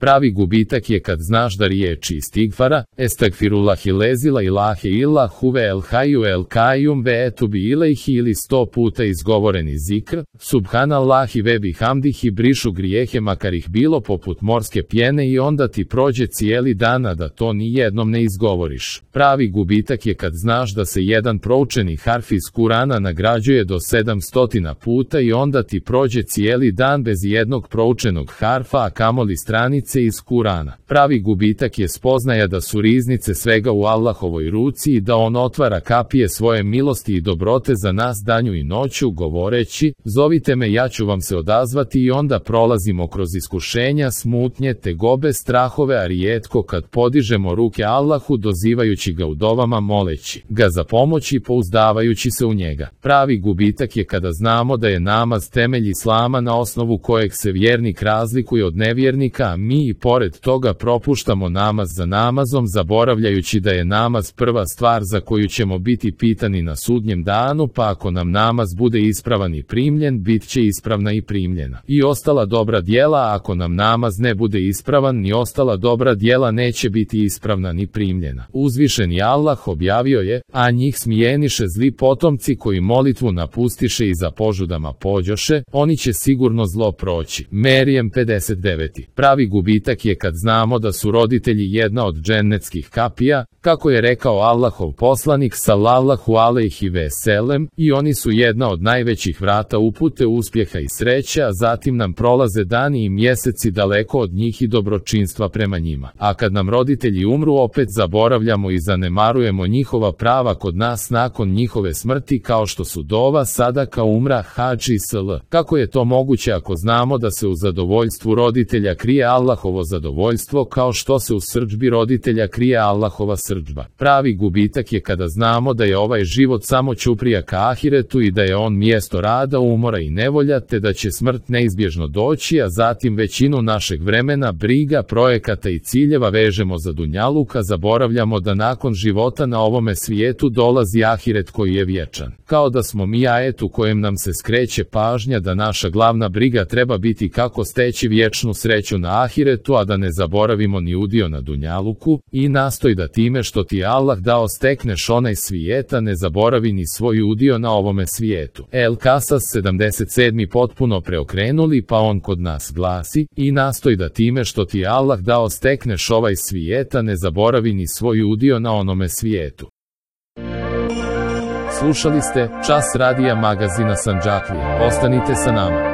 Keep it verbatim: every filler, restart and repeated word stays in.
Pravi gubitak je kad znaš da riječi istigfara, estagfirullahi lezila ilahe illa huve el hayu el kajum ve etubi ilaihi ili sto puta izgovoreni zikr, subhanallahi ve bihamdihi brišu grijehe makar ih bilo poput morske pjene i onda ti prođe cijeli dan a da to ni jednom ne izgovoriš. Pravi gubitak je kad znaš da se jedan proučeni harf iz Kurana nagrađuje do sedamstotina puta i onda ti prođe cijeli dan bez jednog proučenog harfa, a kamoli stranice iz Kurana. Pravi gubitak je spoznaja da su riznice svega u Allahovoj ruci i da on otvara kapije svoje milosti i dobrote za nas danju i noću, govoreći, zovite me, ja ću vam se odazvati, i onda prolazimo kroz iskušenja, smutnje, tegobe, strahove, a rijetko kad podižemo ruke Allahu dozivajući ga u dovama, moleći ga za pomoć i pouzdavajući se u njega. Pravi gubitak je kada znamo da je namaz temelj islama na osnovu kojeg se vjernik razlikuje od nevjernika, a mi i pored toga propuštamo namaz za namazom, zaboravljajući da je namaz prva stvar za koju ćemo biti pitani na sudnjem danu, pa ako nam namaz bude ispravan i primljen, bit će ispravna i primljena i ostala dobra djela, a ako nam namaz ne bude ispravan, ni ostala dobra djela neće biti ispravna ni primljena. Uzvišeni Allah objavio je, a njih smijeniše zli potomci koji molitvu napustiše i za požudama pođoše, oni će sigurno zlo proći. Merijem pedeset devet. Pravi gubitak je kad znamo da su roditelji jedna od džennetskih kapija, kako je rekao Allahov poslanik sallallahu alejhi ve selem, i oni su jedna od najvećih vrata upute, uspjeha i sreće, a zatim nam prolaze dani i mjeseci daleko od njih i dobročinstva prema njima. A kad nam roditelji umru, opet zaboravljamo i zanemarujemo njihova prava kod nas nakon njihove smrti, kao što su dova, sadaka, umra, hadž i sl. Kako je to moguće ako znamo da se u zadovoljstvu roditelja krije Allahovo zadovoljstvo, kao što se u srdžbi roditelja krije Allahova srdžba? Pravi gubitak je kada znamo da je ovaj život samo ćuprija ka ahiretu i da je on mjesto rada, umora i nevolja, te da će smrt neizbježno doći, a zatim većinu našeg vremena, briga, projekata i ciljeva vežemo za dunjaluka, zaboravljamo da nakon života na ovome svijetu dolazi ahiret koji je vječan. Kao da smo mi ajet u kojem nam se skreće pažnja da naša glavna briga treba biti kako steći vječnu sreću na ahiretu, a da ne zaboravimo ni udio na dunjaluku, i nastoj da time što ti Allah dao stekneš onaj svijeta, ne zaboravi ni svoj udio na ovome svijetu. El Kasas sedamdeset sedam. Potpuno preokrenuli, pa on kod nas glasi, i nastoj da time što ti Allah dao stekneš ovaj svijeta, ne zaboravi ni svoj udio na onome svijetu. Slušali ste Čas radija magazina Sandžaklija. Ostanite sa nama.